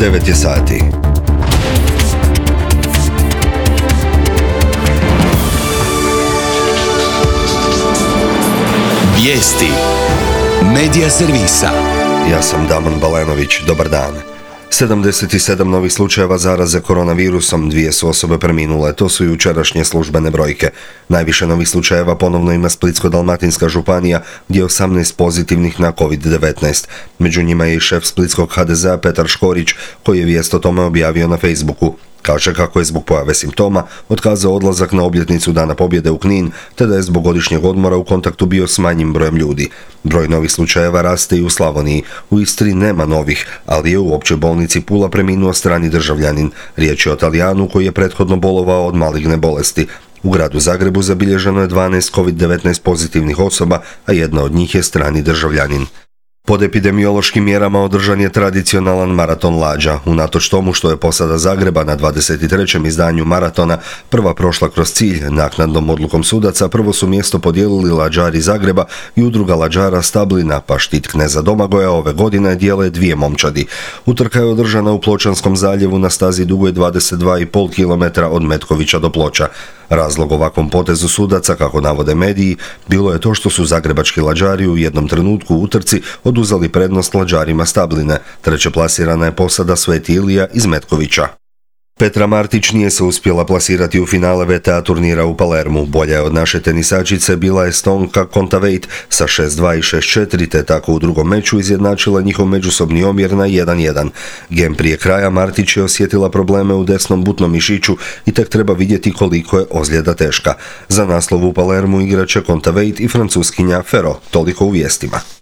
9 je sati. Vijesti Medija servisa. Ja sam Damon Balenović, dobar dan. 77 novih slučajeva zaraze koronavirusom, 2 su osobe preminule, to su jučerašnje službene brojke. Najviše novih slučajeva ponovno ima Splitsko-dalmatinska županija, gdje je 18 pozitivnih na COVID-19. Među njima je i šef splitskog HDZ-a Petar Škorić, koji je vijest o tome objavio na Facebooku. Kaže kako je zbog pojave simptoma otkazao odlazak na obljetnicu Dana pobjede u Knin, te da je zbog godišnjeg odmora u kontaktu bio s manjim brojem ljudi. Broj novih slučajeva raste i u Slavoniji. U Istri nema novih, ali je u općoj bolnici Pula preminuo strani državljanin. Riječ je o Talijanu koji je prethodno bolovao od maligne bolesti. U gradu Zagrebu zabilježeno je 12 COVID-19 pozitivnih osoba, a jedna od njih je strani državljanin. Pod epidemiološkim mjerama održan je tradicionalan maraton lađa. Unatoč tomu što je posada Zagreba na 23. izdanju maratona prva prošla kroz cilj, naknadnom odlukom sudaca prvo su mjesto podijelili lađari Zagreba i udruga lađara Stablina, pa štit kneza Domagoja ove godine dijele 2 momčadi. Utrka je održana u Pločanskom zaljevu na stazi dugoj 22,5 km od Metkovića do Ploča. Razlog ovakvom potezu sudaca, kako navode mediji, bilo je to što su zagrebački lađari u jednom trenutku u utrci oduzeli prednost lađarima Stabline. Treće plasirana je posada Sveti Ilija iz Metkovića. Petra Martić nije se uspjela plasirati u finale VTA turnira u Palermu. Bolja je od naše tenisačice bila Estonka Kontaveit sa 6-2 i 6-4, te tako u drugom meču izjednačila njihov međusobni omjer na 1-1. Gem prije kraja Martić je osjetila probleme u desnom butnom mišiću i tek treba vidjeti koliko je ozljeda teška. Za naslov u Palermu igraće Kontaveit i francuskinja Ferro. Toliko u vijestima.